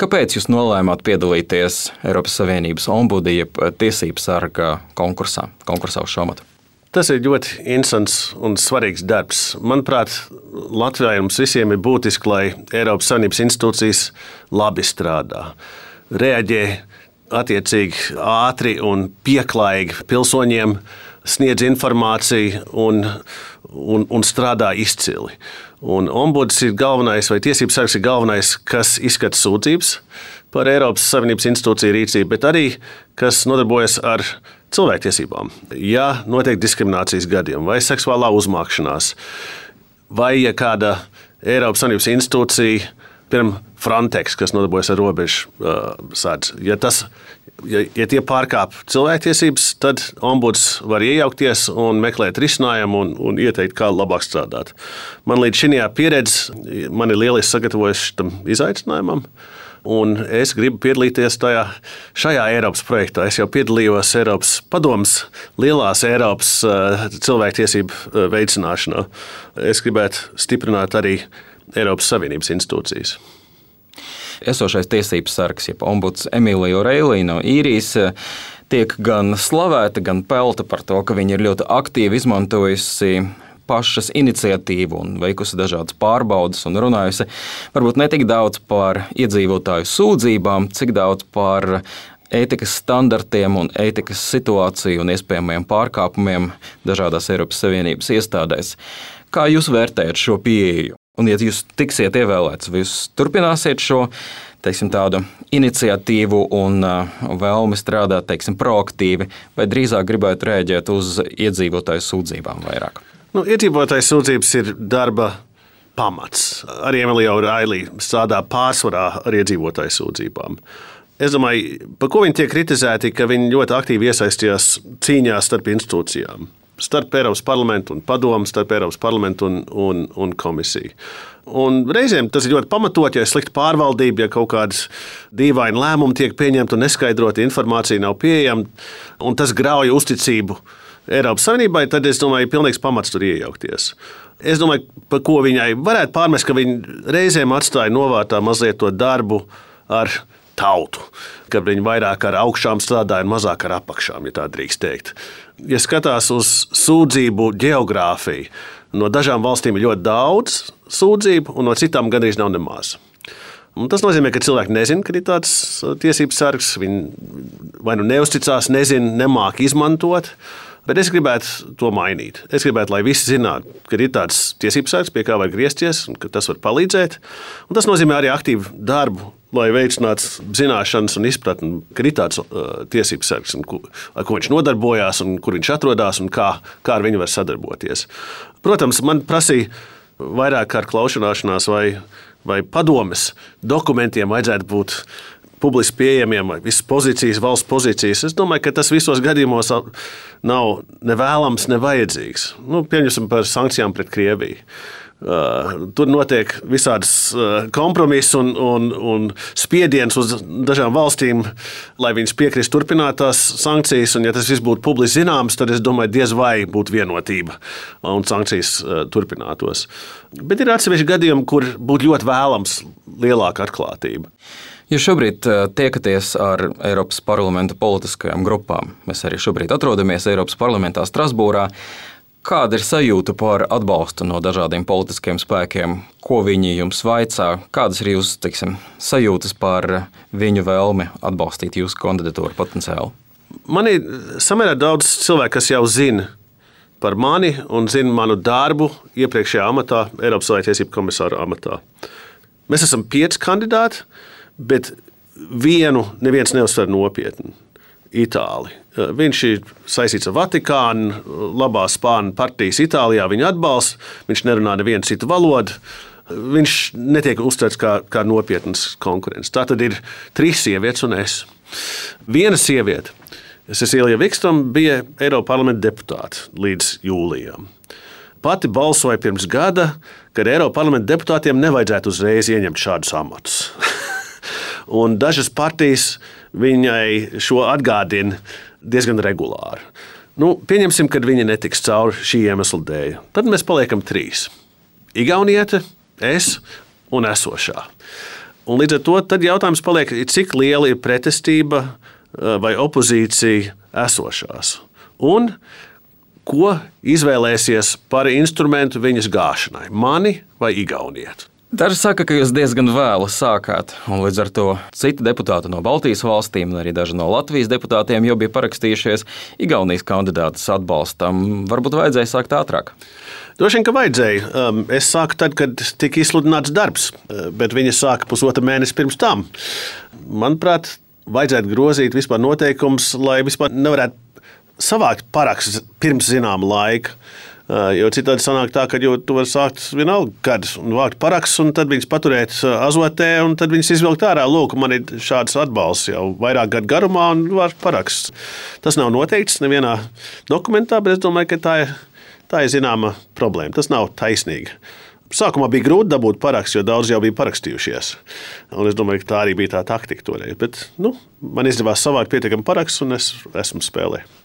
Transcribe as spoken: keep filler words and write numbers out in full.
Kāpēc jūs nolēmāt piedalīties Eiropas Savienības ombuda jeb tiesības sarga konkursā, konkursā uz šo amatu? Tas ir ļoti interesants un svarīgs darbs. Manuprāt, Latvijai mums visiem ir būtiski, lai Eiropas Savienības institūcijas labi strādā, reaģē attiecīgi ātri un pieklājīgi pilsoņiem, sniedz informāciju un, un, un strādā izcili. Un ombuds ir galvenais, vai tiesības sargs ir galvenais, kas izskata sūdzības par Eiropas Savienības institūciju rīcību, bet arī kas nodarbojas ar cilvēktiesībām. Ja notiek diskriminācijas gadījumi vai seksuālā uzmākšanās, vai ja kāda Eiropas Savienības institūcija, piemēram, Frontex, kas nodarbojas ar robežu uh, sardzi, ja, tas, ja, ja tie pārkāp cilvēktiesības, tad ombuds var iejaukties un meklēt risinājumu un, un ieteikt, kā labāk strādāt. Man līdz šajā pieredze man ir lieliski sagatavojusi tam izaicinājumam. Un es gribu piedalīties tajā, šajā Eiropas projektā. Es jau piedalījos Eiropas padomes lielās Eiropas uh, cilvēktiesību veicināšanā. Es gribētu stiprināt arī Eiropas Savienības institūcijas. Esošais tiesības sargs, jeb ombuds Emīlija Oreilija no Īrijas, tiek gan slavēta, gan pelta par to, ka viņa ir ļoti aktīvi izmantojusi pašas iniciatīvu un veikusi dažādas pārbaudas un runājusi varbūt ne tik daudz par iedzīvotāju sūdzībām, cik daudz par ētikas standartiem un ētikas situāciju un iespējamiem pārkāpumiem dažādās Eiropas Savienības iestādēs. Kā jūs vērtējat šo pieeju? Un, ja jūs tiksiet ievēlēts, vai jūs turpināsiet šo teiksim, tādu iniciatīvu un uh, vēlmi strādāt teiksim, proaktīvi, vai drīzāk gribētu rēģēt uz iedzīvotāju sūdzībām vairāk? Nu, iedzīvotāju sūdzības ir darba pamats. Arī Emīlija Oreilija strādā pārsvarā ar iedzīvotāju sūdzībām. Es domāju, par ko viņi tiek kritizēti, ka viņi ļoti aktīvi iesaistījās cīņā starp institūcijām. Starp Eiropas parlamentu un padomu, starp Eiropas parlamentu un, un, un komisiju. Un reizēm tas ir ļoti pamatot, ja ir slikta pārvaldība, ja kaut kādas dīvaini lēmumi tiek pieņemti un neskaidrota informācija nav pieejama, un tas grauj uzticību Eiropas Savienībai, tad es domāju, ir pilnīgs pamats tur iejaukties. Es domāju, par ko viņai varētu pārmest, ka viņi reizēm atstāja novārtā mazliet to darbu ar tautu, kad viņi vairāk ar augšām strādāja un mazāk ar apakšām, ja tā drīkst teikt. Ja skatās uz sūdzību geogrāfiju, no dažām valstīm ir ļoti daudz sūdzību, un no citām gandrīz nav nemaz. Un tas nozīmē, ka cilvēki nezina, ka ir tāds tiesības sargs, viņi vai nu neuzticās, nezina, nemāk izmantot, bet es gribētu to mainīt. Es gribētu, lai visi zinātu, ka ir tāds tiesības sargs, pie kā var griezties, un ka tas var palīdzēt. Un tas nozīmē arī aktīvu darbu, lai veicinātu zināšanas un izpratni, ka ir tāds uh, tiesības sargs, un, ar ko viņš nodarbojās, un kur viņš atrodas, un kā, kā ar viņu var sadarboties. Protams, man prasīja vairāk kārt klaušanāšanās vai, vai padomes dokumentiem vajadzētu būt publiski pieejamiem, vai visas pozīcijas, valsts pozīcijas. Es domāju, ka tas visos gadījumos nav ne vēlams, ne vajadzīgs. Nu, pieņemsim par sankcijām pret Krieviju. Uh, tur notiek visādas uh, kompromiss un, un, un spiediens uz dažām valstīm, lai viņas piekrist turpināt tās sankcijas. Un, ja tas viss būtu publiski zināms, tad es domāju, diez vai būtu vienotība un sankcijas uh, turpinātos. Bet ir atsevišķi gadījumi, kur būtu ļoti vēlams lielāka atklātība. Jūs šobrīd tiekaties ar Eiropas parlamenta politiskajām grupām. Mēs arī šobrīd atrodamies Eiropas parlamentā Strasbūrā. Kāda ir sajūta par atbalstu no dažādiem politiskiem spēkiem? Ko viņi jums vaicā? Kādas ir jūsu teiksim, sajūtas par viņu vēlmi atbalstīt jūsu kandidatūru potenciāli? Man ir samērā daudz cilvēku, kas jau zina par mani un zina manu darbu iepriekšējā amatā, Eiropas cilvēktiesību komisāra amatā. Mēs esam pieci kandidāti, bet vienu neviens neuztver nopietni. Itāli. Viņš ir saistīts ar Vatikānu, labā spāņu partijas Itālijā viņu atbalsta, viņš nerunā nevienu citu valodu, viņš netiek uztverts kā, kā nopietnas konkurents. Tā tad ir trīs sievietes un es. Viena sieviete, Cecilija Vikstroma, bija Eiropas parlamenta deputāte līdz jūlijam. Pati balsoja pirms gada, kad Eiropas parlamenta deputātiem nevajadzētu uzreiz ieņemt šādus amatus. Un dažas partijas viņai šo atgādina diezgan regulāri. Nu, pieņemsim, ka viņi netiks cauri šī iemesla dēļ. Tad mēs paliekam trīs. Igauniete, es un esošā. Un līdz ar to tad jautājums paliek, cik liela ir pretestība vai opozīcija esošās. Un ko izvēlēsies par instrumentu viņas gāšanai? Mani vai Igauniet? Daži saka, ka jūs diezgan vēlu sākāt, un līdz ar to citi deputāti no Baltijas valstīm, un arī daži no Latvijas deputātiem jau bija parakstījušies Igaunijas kandidātas atbalstam. Varbūt vajadzēja sākt ātrāk? Droši vien, ka vajadzēja. Es sāku tad, kad tika izsludināts darbs, bet viņa sāka pusotru mēnesi pirms tam. Manuprāt, vajadzētu grozīt vispār noteikumus, lai vispār nevarētu savākt parakstus pirms zināma laika. Jo citādi sanāk tā, ka tu vari sākt vienalga kad un vākt parakstus, un tad viņas paturēt azotē, un tad viņas izvilkt ārā. Lūk, man ir šāds atbalsts jau vairāk gadu garumā un vākt parakstus. Tas nav noteikts nevienā dokumentā, bet es domāju, ka tā ir, tā ir zināma problēma. Tas nav taisnīgi. Sākumā bija grūti dabūt parakstu, jo daudz jau bija parakstījušies. Un es domāju, ka tā arī bija tā taktika toreiz. Bet nu, man izdevās savākt pietiekami parakstus, un es esmu spēlējis.